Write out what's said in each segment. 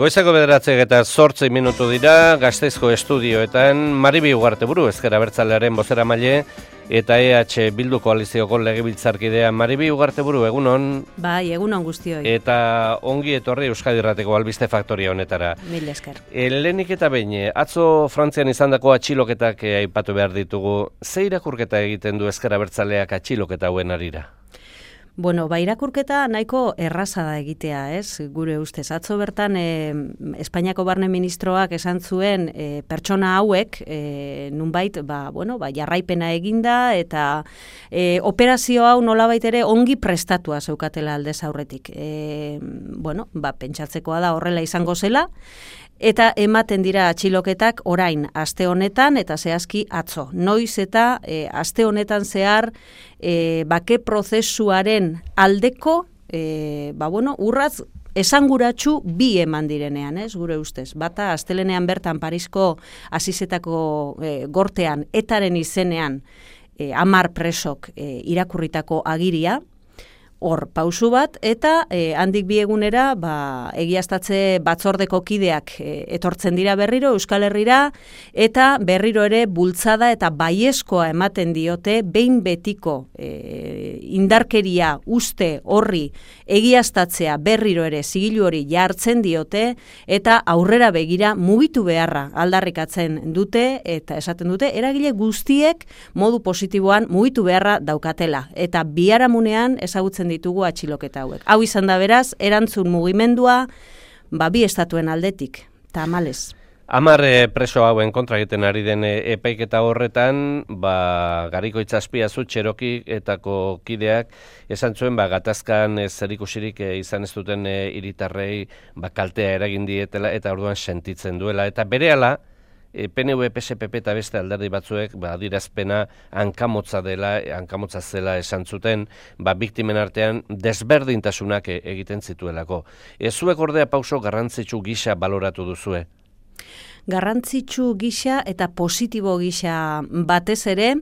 Goizeko 9:08 dira, Gasteizko estudioetan Maribi Ugarteburu, Ezker Abertzalearen bozeramaile eta EH Bildu koalizioko legebiltzarkidea. Maribi Ugarteburu, egunon. Bai, egunon guztioi. Eta ongi etorri Euskadi Irrateko albiste faktoria honetara. Mil esker. Lehenik eta behin, atzo Frantzian izandako atxiloketak aipatu behar ditugu. Ze irakurketa egiten du Ezker Abertzaleak atxiloketa hauen arira? Bueno, irakurketa nahiko erraza da egitea, ez? Gure ustez. Atzo bertan Espainiako barne ministroak esan zuen pertsona hauek nunbait jarraipena eginda eta operazio hau nolabait ere ongi prestatua zeukatela aldez aurretik. Pentsatzekoa da horrela izango zela. Eta ematen dira atxiloketak orain aste honetan eta zehazki atzo. Noiz eta aste honetan zehar bake prozesuaren aldeko urratz esanguratsu bi eman direnean, ez, gure ustez. Bata astelenean bertan Parisko Asisetako gortean etaren izenean 10 presok irakurritako agiria. Hor, pausu bat, eta handik bi egunera egiaztatze batzordeko kideak etortzen dira berriro Euskal Herrira, eta berriro ere bultzada eta baiezkoa ematen diote behin betiko indarkeria uste horri egiaztatzea berriro ere zigilu hori jartzen diote, eta aurrera begira mugitu beharra aldarrikatzen dute, eta esaten dute, eragile guztiek modu positiboan mugitu beharra daukatela. Eta biharamunean ezagutzen ditugu atxiloketa hauek. Hau izan da beraz, erantzun mugimendua bi estatuen aldetik, tamalez. 10 preso hauen kontra egiten ari den epaiketa horretan, Gariko Itxaspiazu Txerokitako kideak esan zuen gatazkan zerikusirik izan ez duten hiritarrei kaltea eragin dietela eta orduan sentitzen duela. Eta berehala, PNV, PSPP eta beste alderdi batzuek adierazpena hankamotza zela esan zuten, biktimen artean desberdintasunak egiten zituelako. Zuek ordea pauso garrantzitsu gisa baloratu duzue? Garrantzitsu gisa eta positibo gisa batez ere,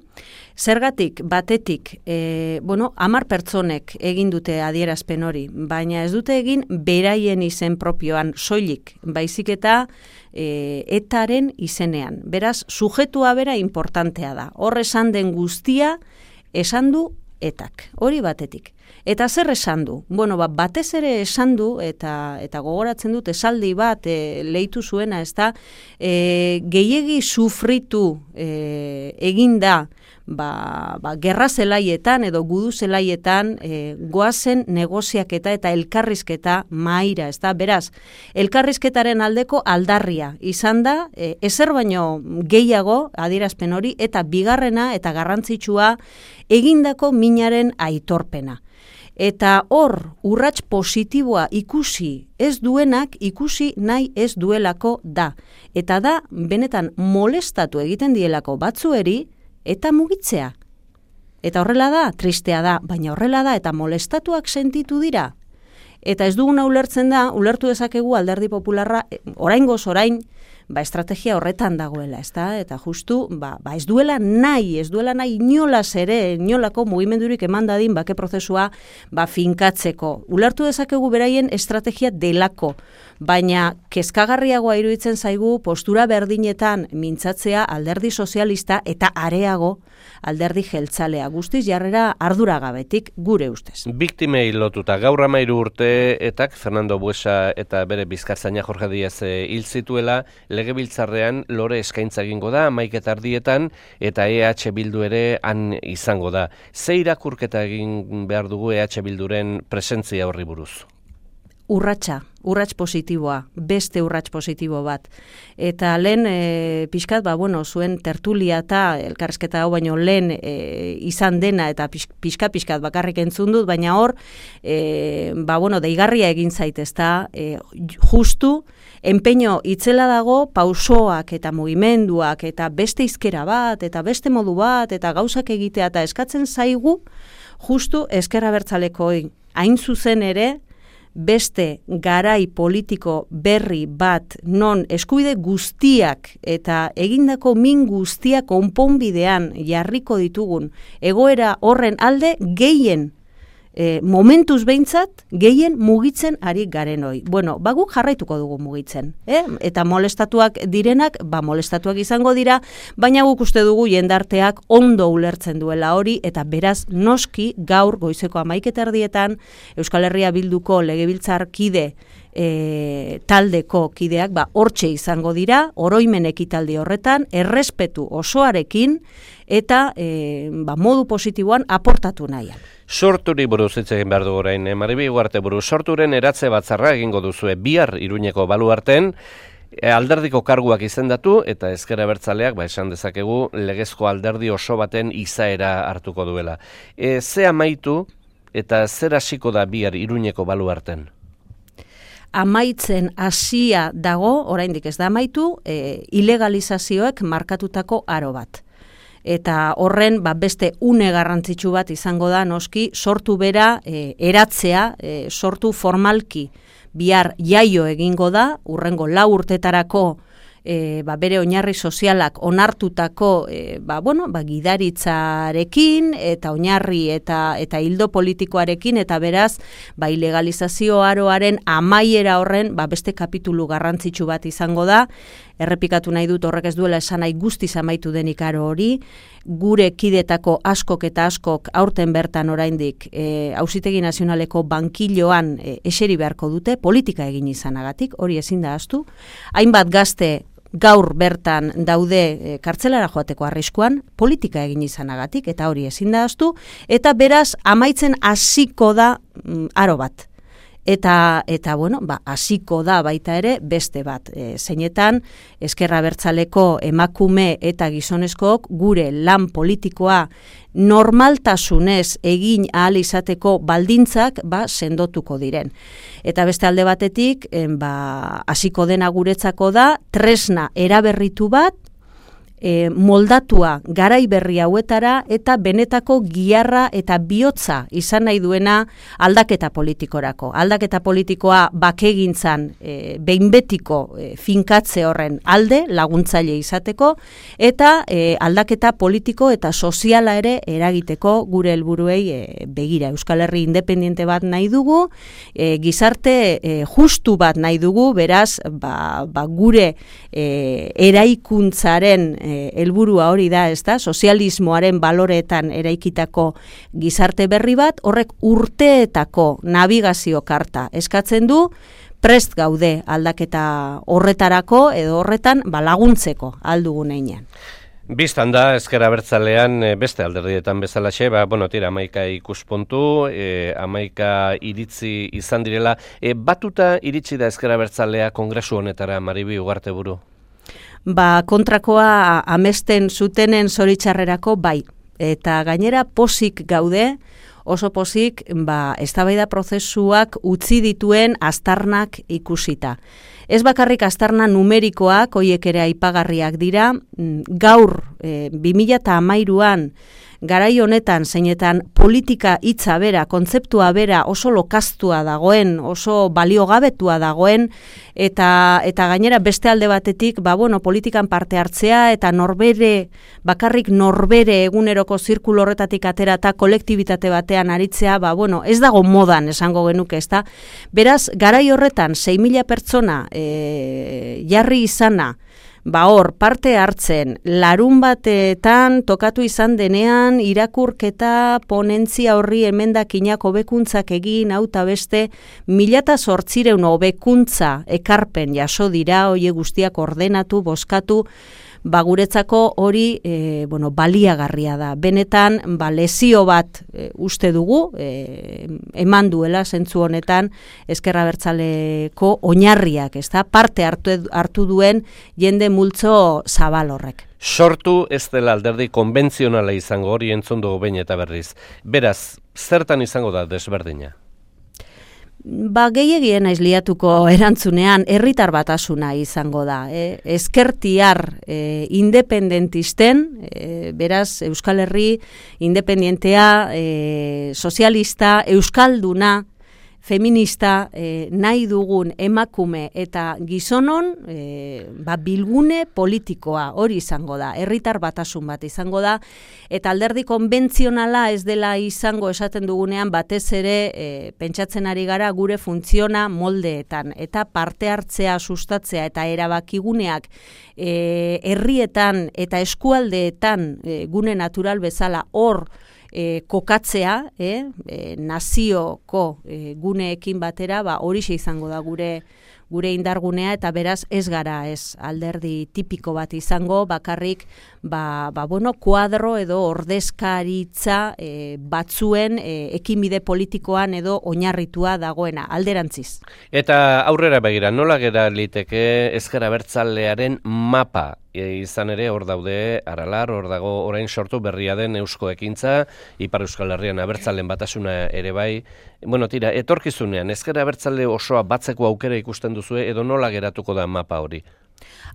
zergatik batetik, 10 pertsonek egin dute adierazpen hori, baina ez dute egin beraien izen propioan soilik, baizik eta etaren izenean. Beraz, sujetua bera importantea da. Hor esan den guztia, esan du etak. Hori batetik. Eta zer esan du? Batez ere esan du, eta gogoratzen dut esaldi bat leitu zuena, ez da, gehiegi sufritu eginda, gerra zelaietan edo gudu zelaietan goazen negoziaketa eta elkarrizketa mahaira, ez da, beraz, elkarrizketaren aldeko aldarria izan da, ezer baino gehiago adierazpen hori, eta bigarrena eta garrantzitsua egindako minaren aitorpena. Eta hor, urrats positiboa ikusi ez duenak, ikusi nahi ez duelako da. Eta da, benetan molestatu egiten dielako batzueri, eta mugitzea. Eta horrela da, tristea da, baina horrela da, eta molestatuak sentitu dira. Eta ez duguna ulertu dezakegu Alderdi Popularra, oraingoz orain, estrategia horretan dagoela, ezta? Eta justu, ez duela nahi inolaz ere, inolako mugimendurik eman dadin bake prozesua finkatzeko. Ulertu dezakegu beraien estrategia delako, baina kezkagarriagoa iruditzen zaigu postura berdinetan mintzatzea Alderdi Sozialista eta areago Alderdi Jeltzalea. Guztiz jarrera arduragabetik gure ustez. Biktimei lotuta gaur 13 urteetak Fernando Buesa eta bere bizkartzaina Jorge Díaz hil zituela, legebiltzarrean lore eskaintza egingo da 11:00 eta EH Bildu ere han izango da. Ze irakurketa egin behar dugu EH Bilduren presentzia horri buruz? Urrats positiboa, beste urrats positibo bat. Eta lehen pixkat, zuen tertulia eta elkarrizketa hau baino lehen izan dena eta pixkat bakarrik entzun dut, baina hor, deigarria egin zaitezta, justu, enpeño itzela dago pausoak eta mugimenduak eta beste hizkera bat eta beste modu bat eta gauzak egitea eta eskatzen zaigu, justu Ezker Abertzalekoei hain zuzen ere, beste garai politiko berri bat non eskubide guztiak eta egindako min guztiak konponbidean jarriko ditugun egoera horren alde gehien momentuz behintzat gehien mugitzen ari garen hoi. Bueno, guk jarraituko dugu mugitzen, eta molestatuak direnak, molestatuak izango dira, baina guk uste dugu jendarteak ondo ulertzen duela hori, eta beraz noski gaur goizeko 11:00 Euskal Herria Bilduko legebiltzarkide taldeko kideak hortxe izango dira, oroimen ekitaldi horretan, errespetu osoarekin eta modu positiboan aportatu nahian. Sorturi buruz hitz egin behar dugu orain, Maribi Ugarteburu, sorturen eratze batzarra egingo duzue bihar Iruñeko Baluarten, alderdiko karguak izendatu eta Ezker Abertzaleak, esan dezakegu, legezko alderdi oso baten izaera hartuko duela. Ze amaitu eta zer hasiko da bihar Iruñeko Baluarten? Amaitzen hasia dago, oraindik ez da amaitu, ilegalizazioek markatutako aro bat. Eta horren beste une garrantzitsu bat izango da noski sortu bera eratzea, sortu formalki bihar jaio egingo da, hurrengo 4 urtetarako bere oinarri sozialak onartutako gidaritzarekin eta oinarri eta hildo politikoarekin, eta beraz ilegalizazio aroaren amaiera horren beste kapitulu garrantzitsu bat izango da. Errepikatu nahi dut, horrek ez duela esan nahi guztiz amaitu denik aro hori, gure kidetako askok eta askok aurten bertan oraindik Auzitegi Nazionaleko bankiloan eseri beharko dute, politika egin izanagatik, hori ezin da ahaztu. Hainbat gazte gaur bertan daude kartzelara joateko arriskuan, politika egin izanagatik, eta hori ezin da ahaztu, eta beraz amaitzen hasiko da aro bat. Eta hasiko da baita ere beste bat. Zeinetan, Ezker Abertzaleko emakume eta gizonezkook gure lan politikoa normaltasunez egin ahal izateko baldintzak sendotuko diren. Eta beste alde batetik, hasiko dena guretzako da tresna eraberritu bat, moldatua garai berri hauetara eta benetako giharra eta bihotza izan nahi duena aldaketa politikorako. Aldaketa politikoa bakegintzan behin betiko finkatze horren alde laguntzaile izateko, eta aldaketa politiko eta soziala ere eragiteko gure helburuei begira. Euskal Herri independiente bat nahi dugu, gizarte justu bat nahi dugu, beraz gure eraikuntzaren helburua hori da, sozialismoaren baloreetan eraikitako gizarte berri bat, horrek urteetako navigazio karta eskatzen du, prest gaude aldaketa horretarako edo horretan laguntzeko aldugun einean. Bistan da, Ezker Abertzalean beste alderdietan bezalaxe, 11 ikuspuntu, 11 iritzi izan direla. Batuta iritsi da Ezker Abertzalea kongresu honetara, Maribi Ugarteburu? Kontrakoa amesten zutenen zoritxarrerako bai. Eta gainera posik gaude, oso posik eztabaida prozesuak utzi dituen aztarnak ikusita. Ez bakarrik aztarna numerikoak, hoiek ere aipagarriak dira, gaur 2013an garai honetan zeinetan politika hitza bera, kontzeptua bera oso lokaztua dagoen, oso baliogabetua dagoen, eta gainera beste alde batetik, politikan parte hartzea eta bakarrik norbere eguneroko zirkulo horretatik atera eta kolektibitate batean aritzea, ez dago modan esango genuke, ezta? Beraz, garai horretan 6.000 pertsona jarri izana, hor, parte hartzen, larun batetan tokatu izan denean, irakurketa, ponentzia horri emendakinak hobekuntzak egin, hauta beste, 1.800 hobekuntza ekarpen jaso dira, hoie guztiak ordenatu, bozkatu, guretzako hori baliagarria da. Benetan, lezio bat uste dugu, eman duela zentzu honetan Ezker Abertzaleko oinarriak, parte hartu duen jende multzo zabal horrek. Sortu ez dela alderdi konbentzionala izango, hori entzun dugu behin eta berriz. Beraz, zertan izango da desberdina? Gehiegien naiz liatuko erantzunean herritar batasuna izango da. Ezkertiar independentisten, beraz Euskal Herri independentea, sozialista, euskalduna, feminista, nahi dugun emakume eta gizonon bilgune politikoa hori izango da, herritar batasun bat izango da, eta alderdi konbentzionala ez dela izango esaten dugunean batez ere pentsatzen ari gara gure funtziona moldeetan, eta parte hartzea sustatzea eta erabakiguneak herrietan eta eskualdeetan gune natural bezala hor kokatzea, nazioko guneekin batera, horixe izango da gure indargunea, eta beraz ez gara alderdi tipiko bat izango, bakarrik kuadro edo ordezkaritza batzuen ekinbide politikoan edo oinarritua dagoena, alderantziz. Eta aurrera begira, nola gera liteke ezker abertzalearen mapa? Izan ere hor daude Aralar, hor dago orain sortu berria den Eusko Ekintza, Ipar Euskal Herrian abertzalen batasuna ere bai. Tira, etorkizunean ezker abertzale osoa batzeko aukera ikusten duzue edo nola geratuko da mapa hori?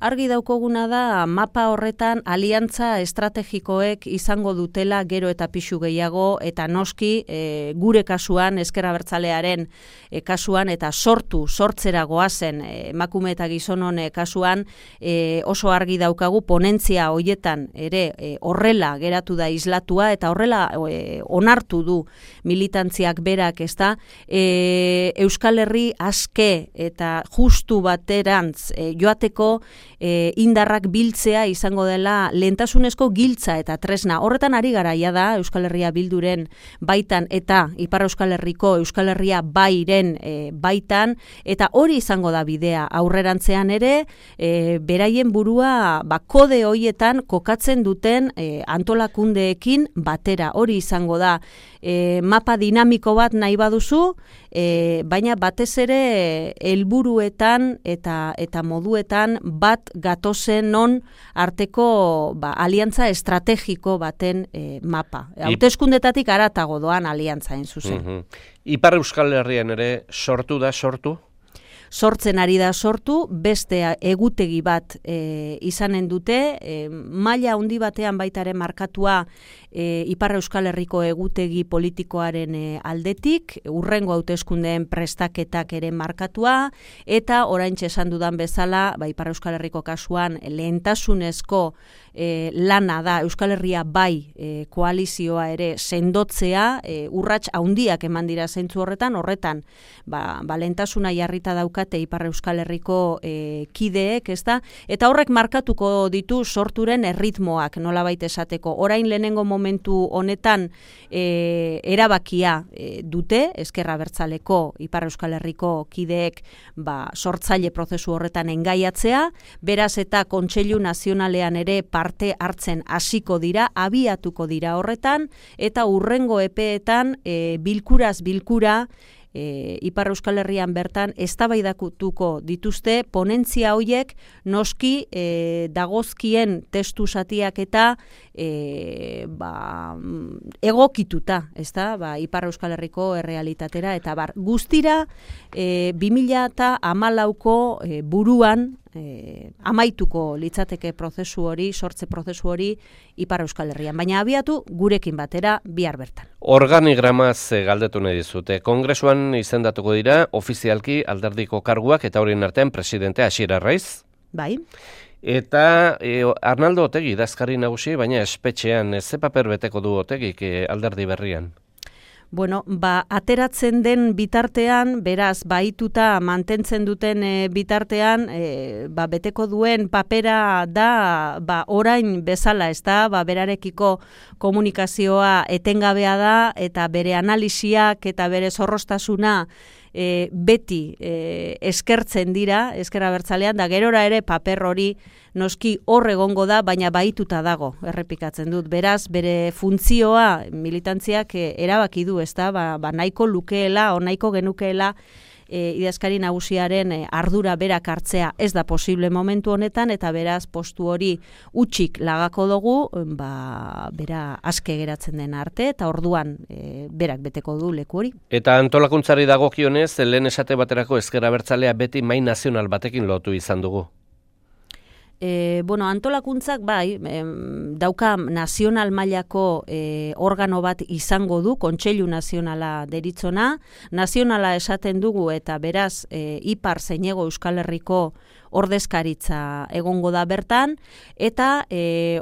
Argi daukoguna da mapa horretan aliantza estrategikoek izango dutela gero eta pixu gehiago, eta noski gure kasuan, ezker abertzalearen kasuan, eta sortzera goazen emakume eta gizonon kasuan, oso argi daukagu ponentzia hoietan ere horrela geratu da islatua, eta horrela onartu du militantziak berak, ezta, Euskal Herri aske eta justu baterantz joateko indarrak biltzea izango dela lehentasunezko giltza eta tresna. Horretan ari garaia da Euskal Herria Bilduren baitan eta Ipar Euskal Herriko Euskal Herria bairen baitan, eta hori izango da bidea aurrerantzean ere, beraien burua kode hoietan kokatzen duten antolakundeekin batera. Hori izango da mapa dinamiko bat nahi baduzu, baina batez ere helburuetan eta moduetan bat gatozen non arteko aliantza estrategiko baten mapa. Hauteskundetatik haratago doan aliantza hain zuzen. Ipar Euskal Herrian ere sortu da, sortzen ari da sortu, beste egutegi bat izanen dute, maila handi batean baitaren markatua Ipar Euskal Herriko egutegi politikoaren aldetik, urrengo hauteskundeen prestaketak ere markatua, eta oraintxe esan dudan bezala, Ipar Euskal Herriko kasuan lehentasunezko lana da Euskal Herria bai koalizioa ere sendotzea, urrats handiak eman dira zentzu horretan lehentasuna jarrita daukate Ipar Euskal Herriko kideek, ezta? Eta horrek markatuko ditu sorturen erritmoak, nolabait esateko. Orain lehenengo momentu honetan erabakia dute, ezker abertzaleko Ipar Euskal Herriko kideek sortzaile prozesu horretan engaiatzea, beraz eta Kontseilu Nazionalean ere parte hartzen hasiko dira, abiatuko dira horretan, eta urrengo epeetan bilkuraz bilkura Ipar Euskal Herrian bertan eztabaidatuko dituzte ponentzia hoiek noski dagozkien testu zatiak eta egokituta, ezta? Ipar Euskal Herriko errealitatera eta guztira 2014ko buruan amaituko litzateke prozesu hori, sortze prozesu hori Ipar Euskal Herrian, baina abiatu gurekin batera bihar bertan. Organigramaz galdetu nahi dizute. Kongresuan izendatuko dira ofizialki alderdiko karguak eta horien artean presidente Asier Arraiz. Bai. Eta Arnaldo Otegi idazkari nagusi, baina espetxean ze paper beteko du Otegik alderdi berrian? Ateratzen den bitartean, beraz, bahituta mantentzen duten bitartean, beteko duen papera da, orain bezala, ez da, berarekiko komunikazioa etengabea da, eta bere analisiak eta bere zorrostasuna beti eskertzen dira, ezker abertzalean, da gerora ere paper hori noski hor egongo da, baina bahituta dago, errepikatzen dut. Beraz, bere funtzioa militantziak erabaki du, ez da, nahiko lukeela, o nahiko genukeela idazkari nagusiaren ardura berak hartzea ez da posible momentu honetan, eta beraz postu hori utxik lagako dugu, bera aske geratzen den arte, eta orduan berak beteko du leku hori. Eta antolakuntzari dagokionez, lehen esate baterako ezker abertzalea beti mai nazional batekin lotu izan dugu. Bueno, antolakuntzak bai, dauka nazional mailako organo bat izango du, Kontseilu Nazionala deritzona. Nazionala esaten dugu eta beraz Ipar zein Hego Euskal Herriko ordezkaritza egongo da bertan, eta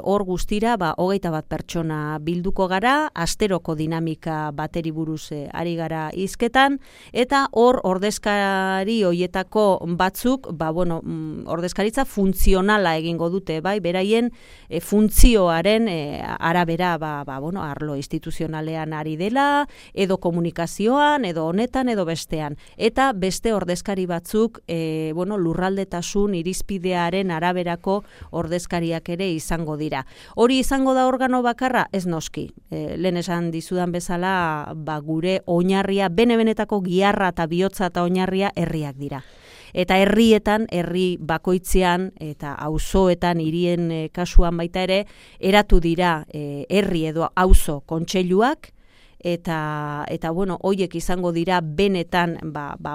hor guztira 21 pertsona bilduko gara, asteroko dinamika bateri buruz ari gara hizketan, eta hor ordezkari hoietako batzuk, ordezkaritza funtzionala egingo dute, bai, beraien funtzioaren arabera, arlo instituzionalean ari dela, edo komunikazioan, edo honetan, edo bestean. Eta beste ordezkari batzuk, lurraldetasun irizpidearen araberako ordezkariak ere izango dira. Hori izango da organo bakarra? Ez noski. Lehen esan dizudan bezala, gure oinarria, bene-benetako giharra eta bihotza eta oinarria herriak dira. Eta herrietan, herri bakoitzean eta auzoetan, hirien kasuan baita ere, eratu dira herri edo auzo kontseiluak, eta hoiek izango dira benetan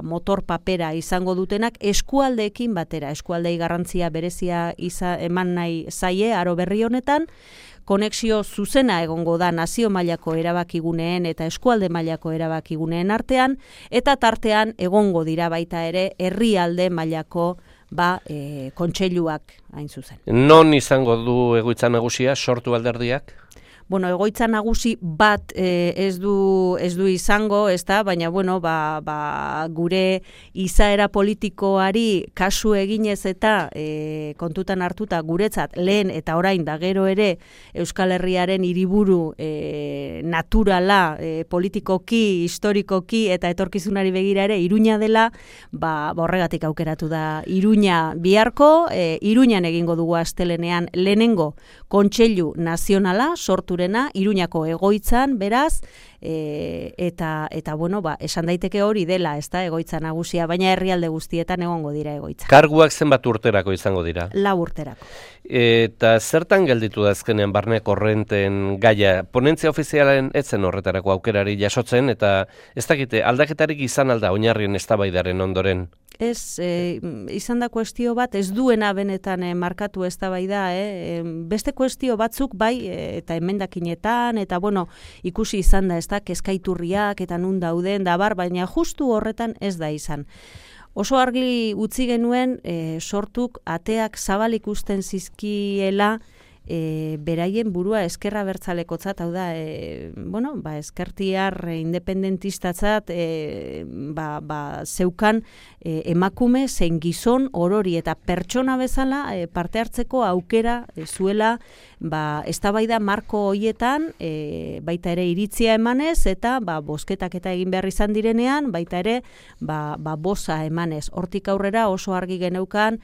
motor papera izango dutenak eskualdeekin batera. Eskualdei garrantzia berezia eman nahi zaie aro berri honetan, konexio zuzena egongo da nazio mailako erabakiguneen eta eskualde mailako erabakiguneen artean, eta tartean egongo dira baita ere herrialde mailako kontseiluak hain zuzen. Non izango du egoitza nagusia, sortu alderdiak? Egoitza nagusi bat ez du izango, ezta, baina gure izaera politikoari kasu eginez eta kontutan hartuta guretzat lehen eta orain da gero ere Euskal Herriaren hiriburu naturala, politikoki, historikoki eta etorkizunari begira ere Iruña dela, horregatik aukeratu da Iruña biharko, Iruñan egingo dugu astelenean lehenengo Kontseilu Nazionala sortu Iruñako egoitzan, beraz, eta esan daiteke hori dela, ez da, egoitza nagusia, baina herrialde guztietan egongo dira egoitza. Karguak zenbat urterako izango dira? 4 urterako. Eta zertan gelditu da azkenean barne korrenten gaia? Ponentzia ofizialen etzen horretarako aukerari jasotzen, eta ez dakite, aldaketarik izan alda oinarrien eztabaidaren ondoren? Ez, izan da kuestio bat, ez duena benetan markatu eztabaida, beste kuestio batzuk bai, eta emendakinetan, eta ikusi izan da, ez da, kezkaiturriak eta nun dauden, baina justu horretan ez da izan. Oso argi utzi genuen sortuk ateak zabalik usten zizkiela beraien burua eskerra bertzalekotzat, hau da, eskertiar independentistatzat zeukan emakume zein gizon orori eta pertsona bezala parte hartzeko aukera zuela eztabaida marko hoietan baita ere iritzia emanez eta bozketak eta egin behar izan direnean baita ere boza emanez. Hortik aurrera oso argi geneukan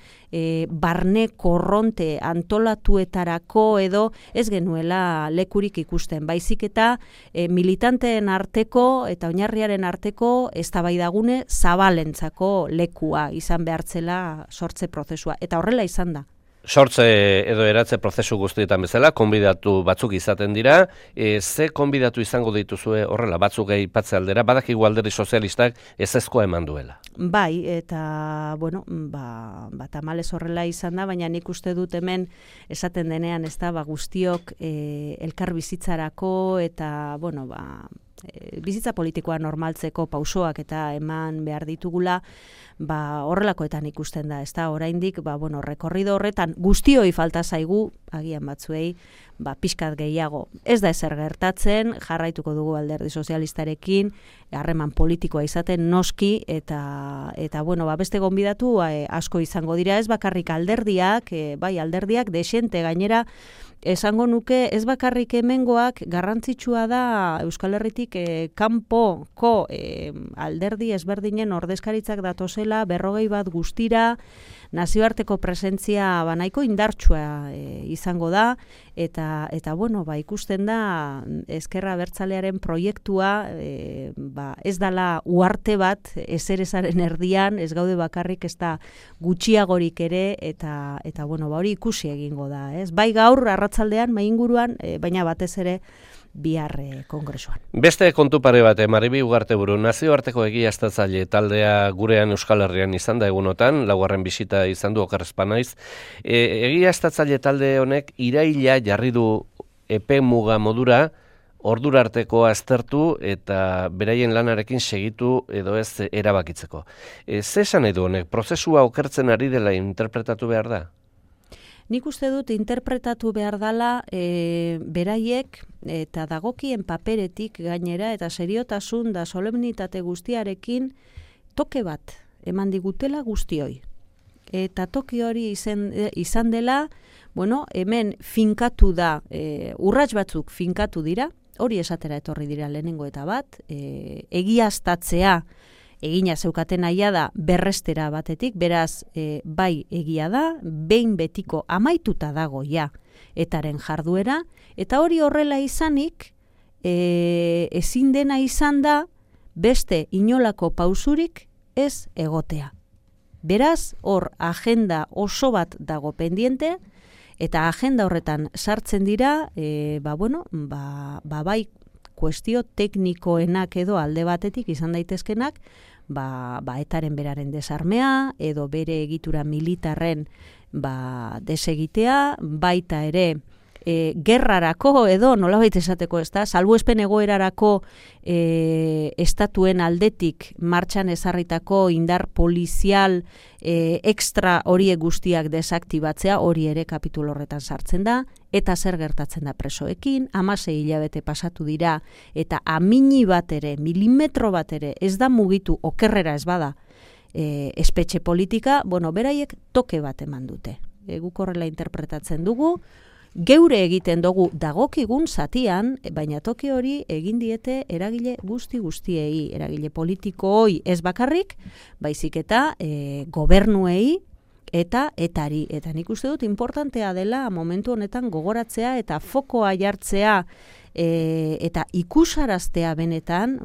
barne korronte antolatuetarako edo ez genuela lekurik ikusten. Baizik eta militanteen arteko eta oinarriaren arteko eztabaidagune zabalentzako lekua izan behartzela sortze prozesua. Eta horrela izan da. Sortze edo eratze prozesu guztietan bezala, konbidatu batzuk izaten dira. Ze konbidatu izango dituzue horrela, batzuk aipatze aldera, badakigu alderdi sozialistak ezezkoa eman duela. Bai, eta, tamalez horrela izan da, baina nik uste dut hemen esaten denean, ez da, guztiok elkar bizitzarako eta, bizitza politikoa normaltzeko pausoak eta eman behar ditugula, horrelakoetan ikusten da, ez da, oraindik, rekorrido horretan guztioi falta zaigu, agian batzuei, pixkat gehiago. Ez da ezer gertatzen, jarraituko dugu alderdi sozialistarekin, harreman politikoa izaten noski, eta beste gonbidatu asko izango dira, ez bakarrik alderdiak, alderdiak desente gainera, esango nuke ez bakarrik hemengoak garrantzitsua da Euskal Herritik kanpoko alderdi ezberdinen ordezkaritzak datozela 41 guztira, nazioarteko presentzia nahiko indartsua izango da, eta ikusten da ezkerra abertzalearen proiektua ez dala uarte bat ezerezaren erdian, ez gaude bakarrik ez da gutxiagorik ere, eta hori ikusi egingo da. Ez? Bai gaur arratzaldean, mai inguruan, baina batez ere bihar kongresuan. Beste kontu pare bat, Maribi Ugarteburu, nazioarteko egiaztatzaile taldea gurean Euskal Herrian izan da egunotan, laugarren bisita izan du okerrezpa naiz. Egiaztatzaile talde honek iraila jarri du epe muga modura, ordura arteko aztertu eta beraien lanarekin segitu edo ez erabakitzeko. Ze esan nahi du honek, prozesua okertzen ari dela interpretatu behar da? Nik uste dut interpretatu behar dela beraiek eta dagokien paperetik gainera eta seriotasun da solemnitate guztiarekin toke bat eman digutela guztioi. Eta toki hori izan dela, hemen finkatu da, urrats batzuk finkatu dira, hori esatera etorri dira lehenengo eta bat, egiaztatzea egina zeukaten naia da berrestera batetik, beraz bai egia da, behin betiko amaituta dago ja etaren jarduera, eta hori horrela izanik, ezin dena izan da beste inolako pausurik ez egotea. Beraz, hor agenda oso bat dago pendiente, eta agenda horretan sartzen dira, bai kuestio teknikoenak edo alde batetik izan daitezkenak, etaren beraren desarmea, edo bere egitura militarren desegitea, baita ere gerrarako edo nolabait esateko ez da, salbuespen egoerarako estatuen aldetik martxan ezarritako indar polizial extra horiek guztiak desaktibatzea, hori ere kapitulu horretan sartzen da, eta zer gertatzen da presoekin, 16 hilabete pasatu dira, eta amini bat ere, milimetro bat ere, ez da mugitu okerrera ez bada espetxe politika, beraiek toke bat eman dute. Guk horrela interpretatzen dugu, geure egiten dugu dagokigun zatian, baina toki hori egin diete eragile guztiei, eragile politikooi ez bakarrik, baizik eta gobernuei eta etari. Eta nik uste dut importantea dela momentu honetan gogoratzea eta fokoa jartzea eta ikusaraztea benetan,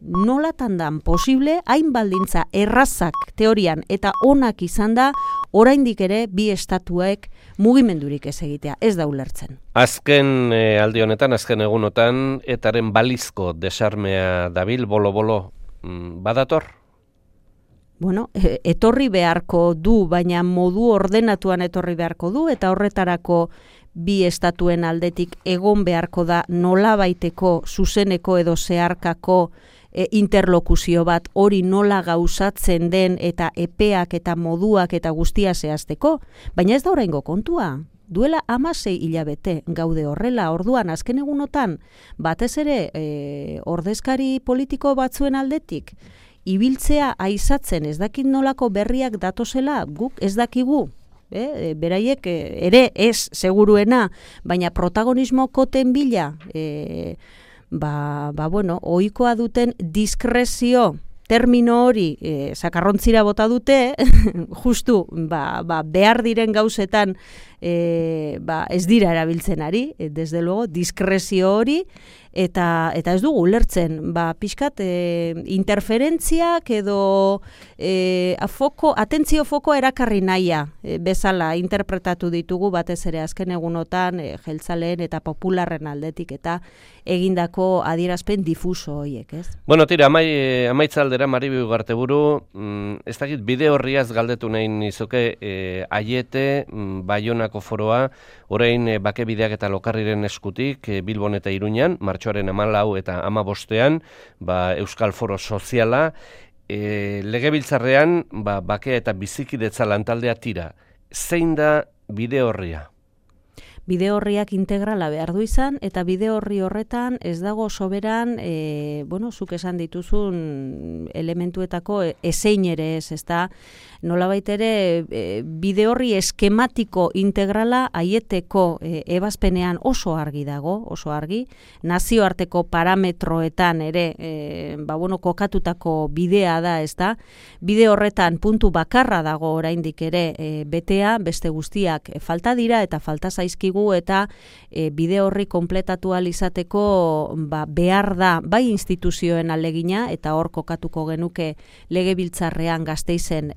nolatan dan posible, hain baldintza errazak teorian eta onak izan da, oraindik ere bi estatuek mugimendurik ez egitea, ez da ulertzen. Azken aldi honetan, azken egunotan, etaren balizko desarmea dabil, bolo-bolo, badator? Etorri beharko du, baina modu ordenatuan etorri beharko du, eta horretarako bi estatuen aldetik egon beharko da nolabaiteko zuzeneko edo zeharkako interlokuzio bat, hori nola gauzatzen den eta epeak eta moduak eta guztia zehazteko, baina ez da oraingo kontua. Duela 16 hilabete gaude horrela, orduan azken egunotan batez ere ordezkari politiko batzuen aldetik ibiltzea aizatzen ez dakit nolako berriak datozela, guk ez dakigu. Beraiek ere ez seguruena, baina protagonismo koten bila, ohikoa duten diskrezio termino hori sakarrontzira bota dute, justu behar diren gauzetan ez dira erabiltzen ari, desde luego, diskrezio hori, eta ez dugu ulertzen, pixkat interferentziak edo atentzio foko erakarri nahia bezala interpretatu ditugu batez ere azken egunotan jeltzaleen eta popularren aldetik eta egindako adierazpen difuso horiek, ez? Tira, amaitzaldera Maribi Ugarteburu, ez dakit bide horriaz galdetu nahi nizuke Aiete, Baionako foroa, orain bakebideak eta lokarriren eskutik, Bilbon eta Iruñan, martxoaren 14 eta 15ean, Euskal Foro Soziala, legebiltzarrean, bakea eta bizikidetza lantaldea tira. Zein da bide horria? Bide horriak integrala behar du izan, eta bide horri horretan ez dago soberan, zuk esan dituzun elementuetako ezein ere ez, ezta nolabait ere bide horri eskematiko integrala Aieteko ebazpenean oso argi dago, oso argi, nazioarteko parametroetan ere, kokatutako bidea da, ezta, bide horretan puntu bakarra dago oraindik ere betea, beste guztiak falta dira eta falta zaizkigu digu eta bide horri kompletatu ahal izateko behar da bai instituzioen alegina eta hor kokatuko genuke Legebiltzarrean Gasteizen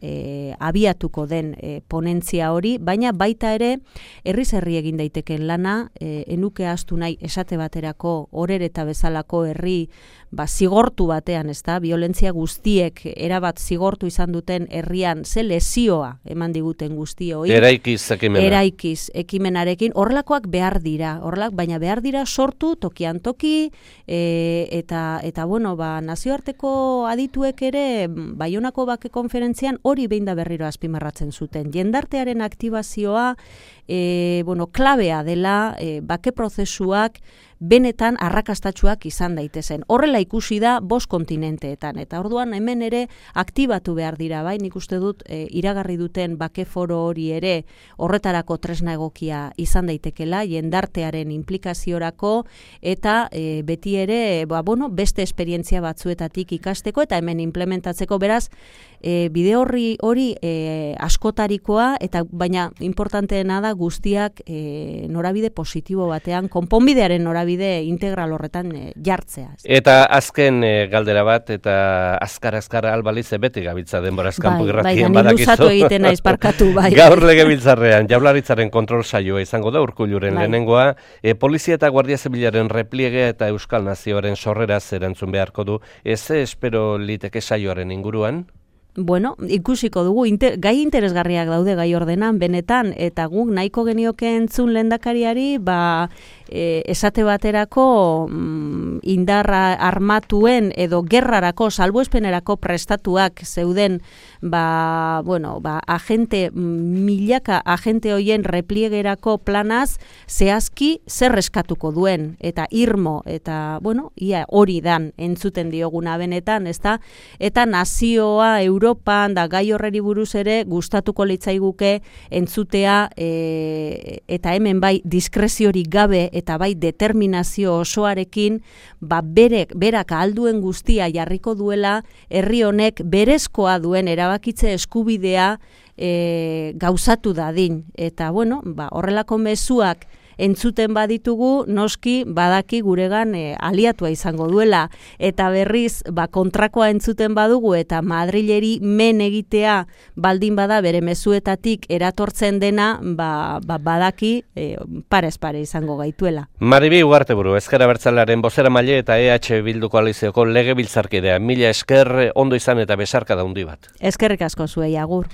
abiatuko den ponentzia hori, baina baita ere herriz herri egin daiteken lana, enuke ahaztu nahi esate baterako Orereta bezalako herri zigortu batean, ezta, violentzia guztiek erabat zigortu izan duten herrian ze lesioa eman diguten guztioi. Eraikiz ekimenarekin, horrelakoak behar dira, baina behar dira sortu tokian toki, eta bueno, nazioarteko adituek ere Baionako Bake Konferentzian hori behin da berriro azpimarratzen zuten. Jendartearen aktibazioa klabea dela bake prozesuak benetan arrakastatsuak izan daitezen. Horrela ikusi da 5 kontinenteetan, eta orduan hemen ere aktibatu behar dira, bai, nik uste dut iragarri duten bake foro hori ere horretarako tresna egokia izan daitekela, jendartearen implikaziorako, eta beti ere, beste esperientzia batzuetatik ikasteko, eta hemen implementatzeko, beraz, bide hori askotarikoa, eta baina importanteena da guztiak norabide positibo batean, konponbidearen norabide integral horretan jartzea. Eta azken galdera bat, eta azkar albalize beti gabiltza denboraz kanpo irratien badakizu. Luzatu egiten naiz, barkatu, bai. Gaur Legebiltzarrean Jaurlaritzaren kontrol saioa izango da Urkulluren lehenengoa, polizia eta guardia zibilaren repliegea eta Euskal Nazioaren sorreraz erantzun beharko du. Ez espero liteke saioaren inguruan? Bueno, ikusiko dugu, gai interesgarriak daude gai ordenan, benetan, eta guk nahiko genioke entzun lehendakariari, esate baterako indarra armatuen edo gerrarako, salbuespenerako prestatuak zeuden, milaka agente hoien repliegerako planaz, zehazki zer eskatuko duen, eta irmo, eta, ia hori dan entzuten dioguna benetan, ezta? Eta nazioa, Europan, da gai horreri buruz ere, gustatuko litzaiguke entzutea, eta hemen bai diskreziorik gabe, eta bai determinazio osoarekin, berak ahalduen guztia jarriko duela, herri honek berezkoa duen erabakitze eskubidea gauzatu dadin. Eta, horrelako mezuak entzuten baditugu, noski badaki guregan aliatua izango duela, eta berriz kontrakoa entzuten badugu eta Madrileri men egitea baldin bada bere mezuetatik eratortzen dena, badaki parez pare izango gaituela. Maribi Ugarteburu, Ezker Abertzalearen bozeramaile eta EH Bildu koalizioko legebiltzarkidea. Mila esker, ondo izan eta besarkada handi bat. Eskerrik asko zuei, agur.